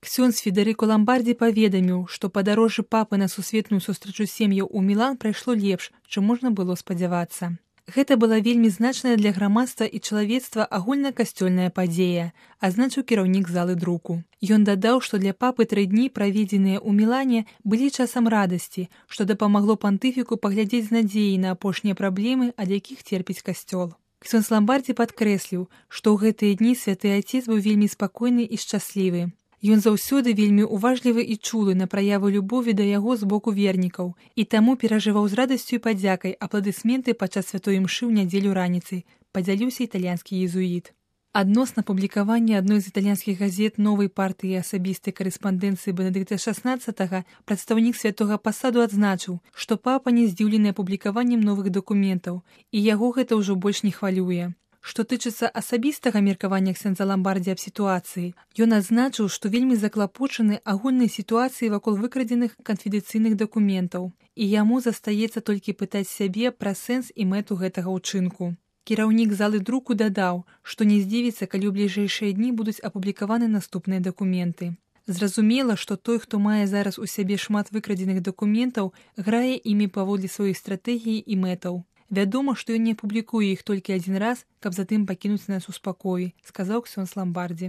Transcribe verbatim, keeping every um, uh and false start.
Ксёндз Федэрыка Ламбардзі паведаміў, што падарожжа папы на сусветную сустрэчу сем'яў у Мілан прайшло лепш, чым можна было спадзявацца. Гэта была вельмі значная для грамадства і чалавецтва агульнакасцёльная падзея, адзначыў кіраўнік залы друку. Ён дадаў, што для папы тры дні, праведзеныя ў Мілане, былі часам радасці, што дапамагло пантыфіку паглядзець з надзеяй на апошнія праблемы, ад якіх церпіць касцёл. Ксёндз Ламбардзі падкрэсліў, што ў гэтыя дні святы Ацец быў вельмі спакойны і шчаслівы. Ён заўсёды вельмі уважлівы і чулы на праяву любові да яго з боку вернікаў і таму перажываў з радасцю і падзякай апладысменты падчас святой імшы ў нядзелю раніцай, падзяліўся італьянскі езуіт. Адносна публікавання адной з італьянскіх газет новай партыі асабістай карэспандэнцыі Бенедыкта шаснаццатага прадстаўнік святога пасаду адзначыў, што папа не здзіўлены апублікаваннем новых дакументаў, і яго гэта ўжо больш не хвалюе. Што тычыцца асабістага меркавання ксёндза Ламбардзі аб сітуацыі, ён адзначыў, што вельмі заклапочаны агульнай сітуацыяй вакол выкрадзеных канфідэнцыйных дакументаў, і яму застаецца толькі пытаць сябе пра сэнс і мэту гэтага ўчынку. Кіраўнік залы друку дадаў, што не здзівіцца, калі ў бліжэйшыя дні будуць апублікаваны наступныя дакументы. Зразумела, што той, хто мае зараз у сябе шмат выкрадзеных дакументаў, грае імі паводле сваёй стратэгіі і мэтаў. Вядома, што ён не публікуе іх толькі адзін раз, каб затым пакінуць нас у спакоі, сказаў ксёндз Ламбардзі.